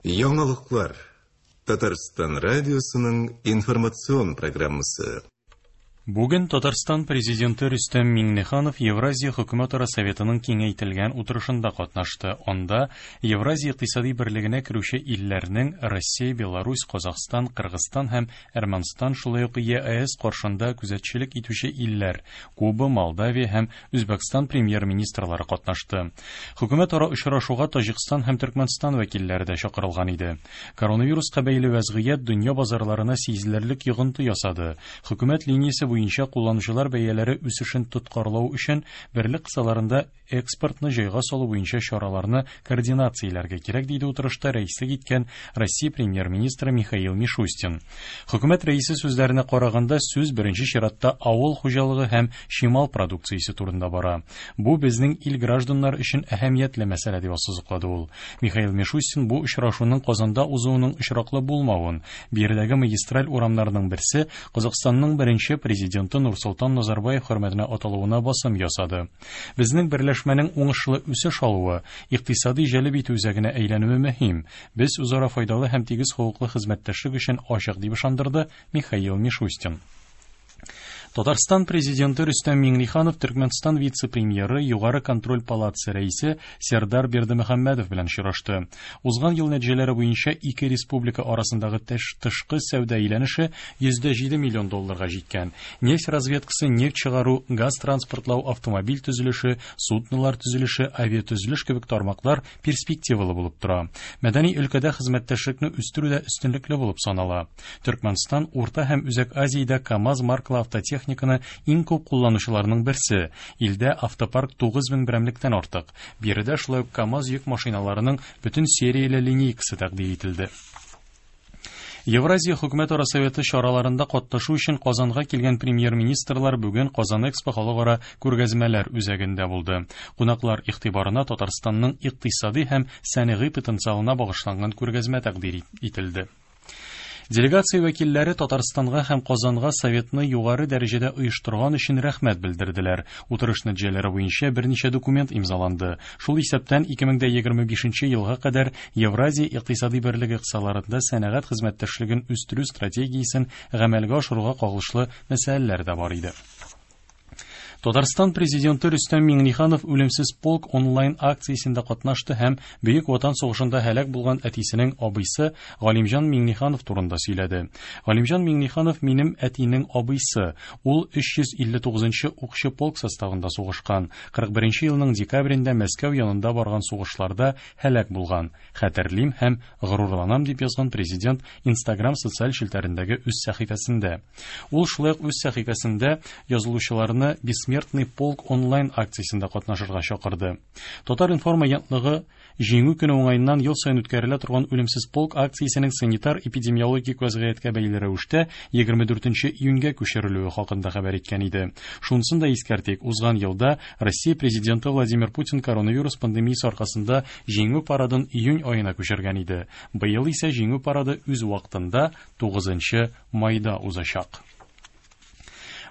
Яңалыклар. Татарстан радиосының информацион программасы. Бүген Татарстан Президенты Рөстәм Миңнеханов Евразия хөкүмәтара советының киңәйтелгән утырышында катнашты. Анда Евразия икътисади берлегенә керүче илләрнең Россия, Беларусь, Казахстан, Кыргызстан һәм Әрмәнстан, шулай ук ЕАЭС каршында күзәтчелек итүче илләр Куба, Молдавия һәм Үзбәкстан премьер-министрлары катнашты. Хөкүмәтара очрашуга Таҗикстан һәм Төркмәнстан вәкилләре дә чакырылган иде. Коронавируска бәйле вәзгыять дөнья базарларына сизелерлек йогынты ясады. Хөкүмәт линиясе буенча кулланучылар бәяләре үсешен тоткарлау өчен берлек кысаларында экспортны җайга салу буенча чараларны координацияләргә кирәк, диде утырышта рәислек иткән Россия премьер-министры Михаил Мишустин. Хөкүмәт рәисе сүзләренә караганда, сүз беренче чиратта авыл хуҗалыгы һәм чимал продукциясе турында бара. Бу безнең ил гражданнары өчен әһәмиятле мәсьәлә, дип ассызыклады ул. Михаил Мишустин бу очрашуның Казанда узуының очраклы булмавын, биредәге магистраль урамнарның берсе Казахстанның беренче президенты Нурсолтан Назарбаев хөрмәтенә аталуына басым ясады. Безнең берләшмәнең уңышлы үсеш алуы, икътисади җәлеп итү үзәгенә әйләнүе мөһим. Без үзара файдалы һәм тигез хокуклы хезмәттәшлек өчен ачык, дип ышандырды Михаил Мишустин. Татарстан Президенты Рөстәм Миңнеханов Төркмәнстан вице-премьеры, Югары контроль палатасы рәисе Сердар Бердымөхәммәдов белән очрашты. Узган ел нәтиҗәләре буенча ике республика арасындагы тышкы сәүдә әйләнеше 107 миллион долларга җиткән. Нефть разведкасы, нефть чыгару, газ транспортлау, автомобиль төзелеше, суднолар төзелеше, авиатөзелеш кебек тармаклар перспективалы булып тора. Мәдәни өлкәдә хезмәттәшлекне үстерү дә өстенлекле булып санала. Төркмәнстан Урта һәм Үзәк Азиядә КАМАЗ маркалы автотехниканы иң күп кулланучыларның берсе. Илдә автопарк 9000 берәмлектән артык. Биредә шулай ук КАМАЗ йөк машиналарының бөтен серияле линейкасы тәкъдир ителде. Евразия хөкүмәтара советы чараларында катнашу өчен Казанга килгән премьер-министрлар бүген Казан Экспо халыкара күргәзмәләр үзәгендә булды. Кунаклар игътибарына Татарстанның икътисади һәм сәнәгый потенциалына багышланган күргәзмә тәкъдир ителде. Делегация вәкилләре Татарстанга һәм Казанга советны югары дәрәҗәдә оештырган өчен рәхмәт белдерделәр. Утырыш нәтиҗәләре буенча берничә документ имзаланды. Шул исәптән 2025 елга кадәр Евразия икътисади берлеге кысаларында сәнәгать хезмәттәшлеген үстерү стратегиясен гамәлгә ашыруга кагылышлы мәсьәләләр дә бар иде. Татарстан президенты Рөстәм Миңнеханов Үлемсез полк онлайн акциясендә катнашты һәм Бөек Ватан сугышында һәлак булган әтисенең абыйсы Галимҗан Миңнеханов турында сөйләде. Галимҗан Миңнеханов минем әтинең абыйсы. Ул 359 нчы укчы полк составында сугышкан. 41 нче елның декабрендә Мәскәү янында барган сугышларда һәлак булган. Хәтерлим һәм горурланам, дип язган президент Instagram социаль челтәрендәге үз сәхифәсендә. Ул шулай ук үз сәхифәсендә язылучыларны Бессмертный полк онлайн акциясендә катнашырга чакырды. Татар-информ агентлыгы Җиңү көне уңаеннан ел саен үткәрелә торган Үлемсез полк акциясенең санитар-эпидемиологик вәзгыятькә бәйле рәвештә 24 июньгә күчерелүе хакында хәбәр иткән иде. Шунысын да искәртик, узган елда Россия Президенты Владимир Путин коронавирус пандемиясе аркасында Җиңү парадын июнь аена күчергән иде. Быел исә Җиңү парады үз вакытында, 9 майда узачак.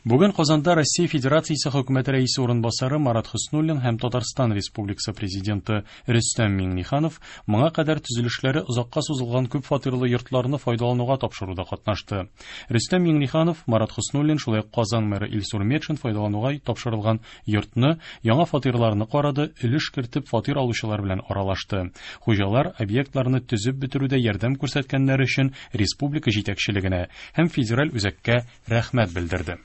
Бүген Казанда Россия Федерациясе Хөкүмәте Рәисе урынбасары Марат Хөснуллин һәм Татарстан Республикасы Президенты Рөстәм Миңнеханов моңа кадәр төзелешләре озакка сузылган күп фатирлы йортларны файдалануга тапшыруда катнашты. Рөстәм Миңнеханов, Марат Хөснуллин, шулай ук Казан мэры Илсур Метшин файдалануга тапшырылган йортны, яңа фатирларны карады, өлеш кертеп фатир алучылар белән аралашты. Хуҗалар объектларны төзеп бетерүдә ярдәм күрсәткәннәре өчен республика җитәкчелегенә һәм федераль үзәккә рәхмәт белдерде.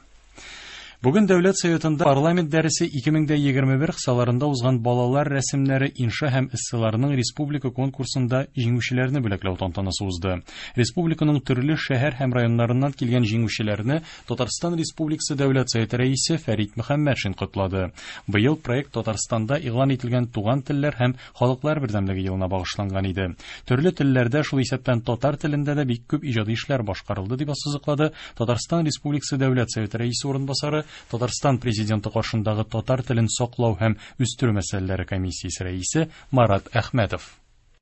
Бүген Дәүләт Советында парламент дәресе 2021 кысаларында узган балалар рәсемнәре, инша һәм эсселарының республика конкурсында җиңүчеләрне бүләкләү тантанасы узды. Республиканың төрле шәһәр һәм районнарыннан килгән җиңүчеләрне Татарстан Республикасы Дәүләт Советы Рәисе Фәрит Мөхәммәтшин котлады. Быел проект Татарстанда игълан ителгән Туган телләр һәм Халыклар бердәмлеге елына багышланган иде. Төрле телләрдә, шул исәптән татар телендә дә бик күп иҗади эшләр башкарылды, дип ассызыклады Татарстан Республикасы Дәүләт Советы Рәисе урынбасары, Татарстан Президенты каршындагы татар телен саклау һәм үстерү мәсьәләләре комиссиясе рәисе Марат Әхмәтов.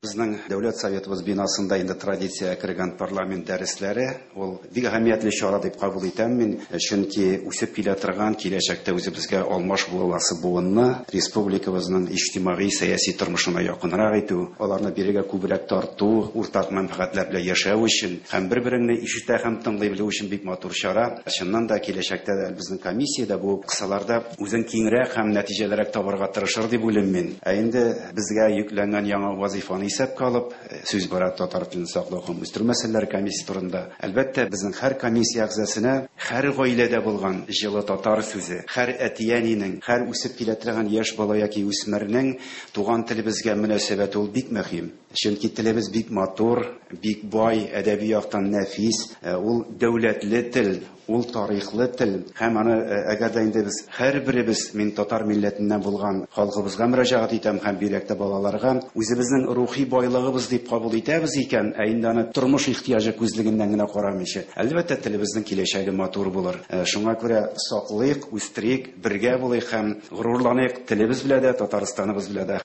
Безнең Дәүләт Советыбыз бинасында инде традициягә кергән парламент дәресләре, ул бик әһәмиятле чара дип кабул итәм мин, чөнки үсеп килә торган, киләчәктә үзебезгә алмаш буласы буынны республикабызның иҗтимагый, сәяси тормышына якынрак итү, аларны бирегә күбрәк тарту, уртак мәнфәгатьләр белән яшәү өчен һәм бер-береңне ишетә һәм тыңлый белү өчен бик матур чара. Чыннан да, киләчәктә дә безнең комиссия дә бу кысаларда үзен киңрәк һәм нәтиҗәлерәк табарга тырышыр дип уйлыйм мин. Ә инде безгә йөкләнгән яңа вазыйфаны исәпкә алып, сүз бара татар телен саклау һәм үстерү мәсьәләләре комиссиясе турында. Әлбәттә, безнең һәр комиссия әгъзасына һәр гаиләдә булган җылы татар сүзе, һәр әти-әнинең, һәр үсеп килә торган яшь бала яки үсмернең туган телебезгә мөнәсәбәте ул бик мөһим. Чөнки телебез бик матур, бик бай, әдәби яктан нәфис, ул дәүләтле тел, ул тарихлы тел. Һәм аны, әгәр дә инде без һәрберебез, мин татар милләтеннән булган халкыбызга мөрәҗәгать итәм һәм бигрәк тә балаларга, үзебезнең рухи байлыгыбыз дип кабул итәбез икән, ә инде аны тормыш ихтыяҗы күзлегеннән генә карамыйча, әлбәттә, телебезнең киләчәге матур булыр. Шуңа күрә саклыйк, үстерик, бергә булыйк һәм горурланыйк телебез белән дә, Татарстаныбыз белән дә.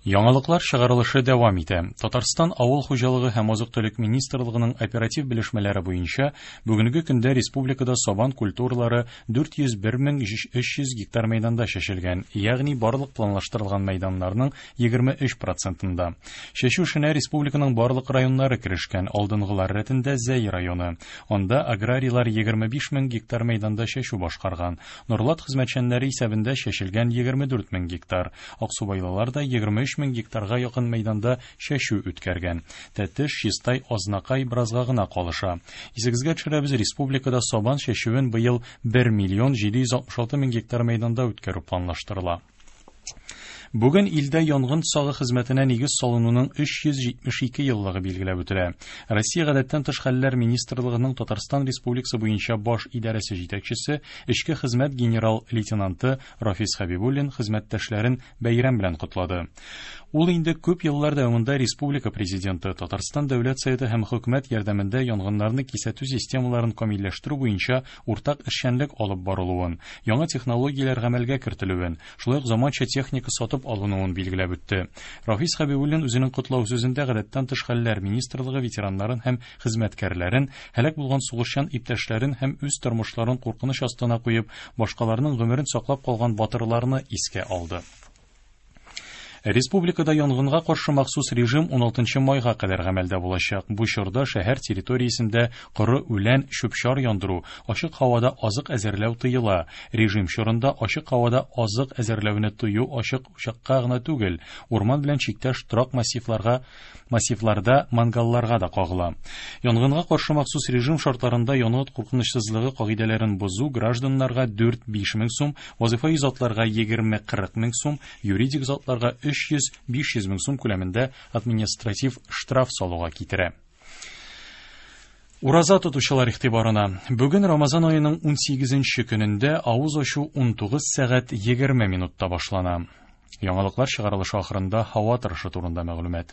Яңалыклар чыгарылышы дәвам итә. Татарстан Авыл хуҗалыгы һәм азык-төлек министрлыгының оператив белешмәләре буенча, бүгенге көндә республикада сабан культуралары 401 мең 300 гектар мәйданда чәчелгән, ягъни барлык планлаштырылган мәйданнарның 23 процентында. Чәчү эшенә республиканың барлык районнары керешкән, алдынгылар рәтендә Зәй районы. Анда аграрийлар 25 мең гектар мәйданда чәчү башкарган. Норлат хезмәтчәннәре исәбендә чәчелгән 24 мең гектар. Аксубайлылар да 23 мең гектарга якын мәйданда чәчү үткәргән. Тәтеш, Чистай, Азнакай беразга гына калыша. Исегезгә төшерәбез, республикада сабан чәчүен быел 1 миллион 766 мең гектар мәйданда үткәрү планлаштырыла. Бүген илдә янгын сагы хезмәтенә нигез салынуның 372 еллыгы билгеләп үтелә. Россия гадәттән тыш хәлләр министрлыгының Татарстан Республикасы буенча баш идарәсе җитәкчесе, эчке хезмәт генерал-лейтенанты Рафис Хәбибуллин хезмәттәшләрен бәйрәм белән котлады. Ул инде күп еллар дәвамында республика президенты, Татарстан Дәүләт Советы һәм хөкүмәт ярдәмендә янгыннарны кисәтү системаларын камилләштерү буенча уртак эшчәнлек алып барылуын, яңа технологияләр гамәлгә кертелүен, шулай ук заманча техника сатып алынуын билгеләп үтте. Рафис Хәбибуллин үзенең котлау сүзендә гадәттән тыш хәлләр министрлыгы ветераннарын һәм хезмәткәрләрен, һәлак булган сугышчан иптәшләрен һәм үз тормышларын куркыныч астына куеп, башкаларның гомерен саклап калган батырларны искә алды. Республикада янгынга каршы махсус режим 16 майга кадәр гамәлдә булачак. Бу чорда шәһәр территориясендә коры үлән, чүп-чар яндыру, ачык һавада азык әзерләү тыела. Режим чорында ачык һавада азык әзерләүне тыю ачык учакка гына түгел, урман белән чиктәш торак массивларда мангалларга да кагыла. Янгынга каршы махсус режим шартларында янгын куркынычсызлыгы кагыйдәләрен бозу гражданнарга 4-5 мең сум, вазифаи затларга 20-40 мең сум, юридик затларга 300-500 мең сум күләмендә административ штраф салуга китерә. Ураза тотучылар игътибарына. Бүген Рамазан аеның 18 көнендә авыз ачу 19 сәгать 20 минутта башлана. Яңалыклар чыгарылышы ахырында һава торышы турында мәгълүмат.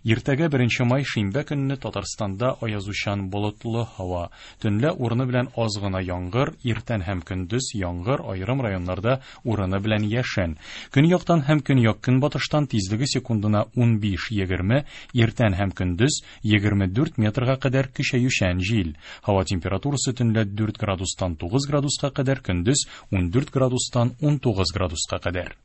Иртәгә 1 май шимбә көнне Татарстанда аязучан болытлы һава. Төнлә урыны белән аз гына яңгыр, иртән һәм көндез яңгыр, аерым районнарда урыны белән яшен. Көньяктан һәм көньяк-көнбатыштан тизлеге секундына 15-20, иртән һәм көндез 24 метрга кадәр көчәючән җил. Һава температурасы төнлә 4 градустан 9 градуска кадәр, көндез 14 градустан 19 градуска кадәр.